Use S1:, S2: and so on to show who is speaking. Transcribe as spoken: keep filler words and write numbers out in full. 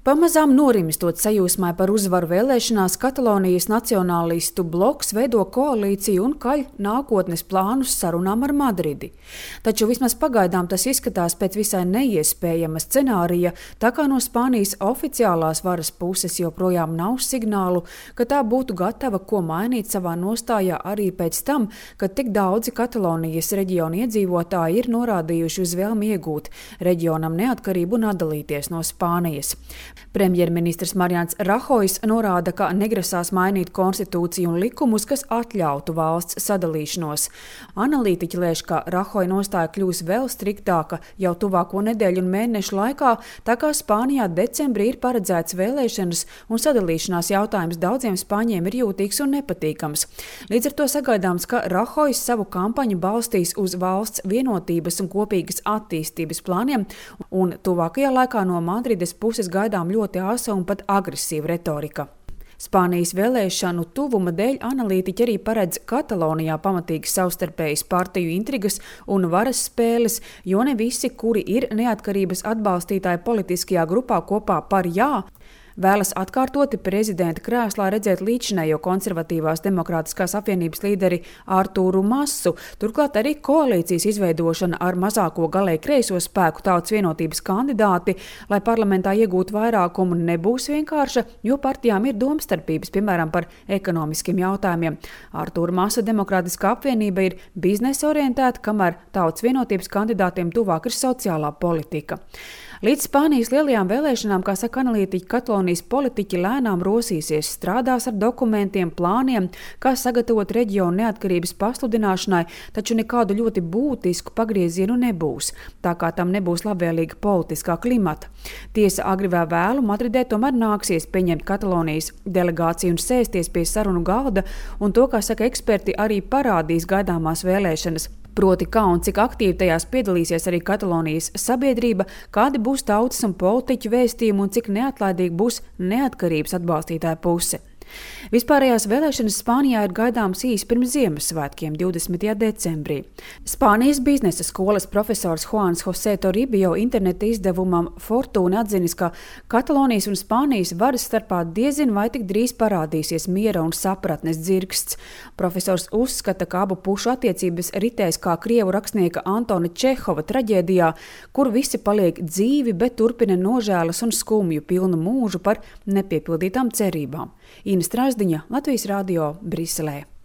S1: Pamazām norimstot sajūsmai par uzvaru vēlēšanās, Katalonijas nacionālistu bloks veido koalīciju un kaļ nākotnes plānus sarunām ar Madridi. Taču vismaz pagaidām tas izskatās pēc visai neiespējama scenārija, tā kā no Spānijas oficiālās varas puses joprojām nav signālu, ka tā būtu gatava ko mainīt savā nostājā arī pēc tam, kad tik daudzi Katalonijas reģiona iedzīvotāji ir norādījuši uz vēlmi iegūt reģionam neatkarību un atdalīties no Spānijas. Premjerministrs Marians Rahojs norāda, ka negrasās mainīt konstitūciju un likumus, kas atļautu valsts sadalīšanos. Analītiķi lēš, ka Rahoja nostāja kļūs vēl striktāka jau tuvāko nedēļu un mēnešu laikā, tā kā Spānijā decembrī ir paredzēts vēlēšanas un sadalīšanās jautājums daudziem spāņiem ir jūtīgs un nepatīkams. Līdz ar to sagaidāms, ka Rahojs savu kampaņu balstīs uz valsts vienotības un kopīgas attīstības plāniem, un tuvākajā laikā no Madrides puses gaidām ļoti āsa un pat agresīva retorika. Spānijas vēlēšanu tuvuma dēļ analītiķi arī paredz Katalonijā pamatīgas savstarpējas partiju intrigas un varas spēles, jo ne visi, kuri ir neatkarības atbalstītāji politiskajā grupā kopā par jā, vēlas atkārtoti prezidenta krēslā redzēt līdzinējo konservatīvās demokrātiskās apvienības līderi Artūru Masu, turklāt arī koalīcijas izveidošana ar mazāko galēji kreiso spēku Tautas vienotības kandidāti, lai parlamentā iegūtu vairākumu, nebūs vienkārša, jo partijām ir domstarpības, piemēram, par ekonomiskiem jautājumiem. Artūra Masa demokrātiskā apvienība ir biznesa orientēta, kamēr Tautas vienotības kandidātiem tuvāk ir sociālā politika. Līdz Spānijas lielajām vēlēšanām, kā saka analītiķi, Katalonijas politiķi lēnām rosīsies, strādās ar dokumentiem, plāniem, kā sagatavot reģionu neatkarības pasludināšanai, taču nekādu ļoti būtisku pagriezienu nebūs, tā kā tam nebūs labvēlīga politiskā klimata. Tiesa agri vai vēlu Madridē tomēr nāksies pieņemt Katalonijas delegāciju un sēsties pie sarunu galda, un to, kā saka eksperti, arī parādīs gaidāmās vēlēšanas. Proti, kā un cik aktīvi tajās piedalīsies arī Katalonijas sabiedrība, kādi būs tautas un politiķu vēstījumi un cik neatlaidīgi būs neatkarības atbalstītāja puse. Vispārējās vēlēšanas Spānijā ir gaidāmas īsi pirms Ziemassvētkiem, divdesmitajā decembrī. Spānijas biznesa skolas profesors Juans José Toribio interneta izdevumam Fortuna atzinis, ka Katalonijas un Spānijas varas starpā diezin vai tik drīz parādīsies miera un sapratnes dzirksts. Profesors uzskata, ka abu pušu attiecības ritēs kā krievu rakstnieka Antona Čehova traģēdijā, kur visi paliek dzīvi, bet turpina nožēlas un skumju pilnu mūžu par nepiepildītām cerībām. Ina Strasdiņa, Latvijas radio, Briselē.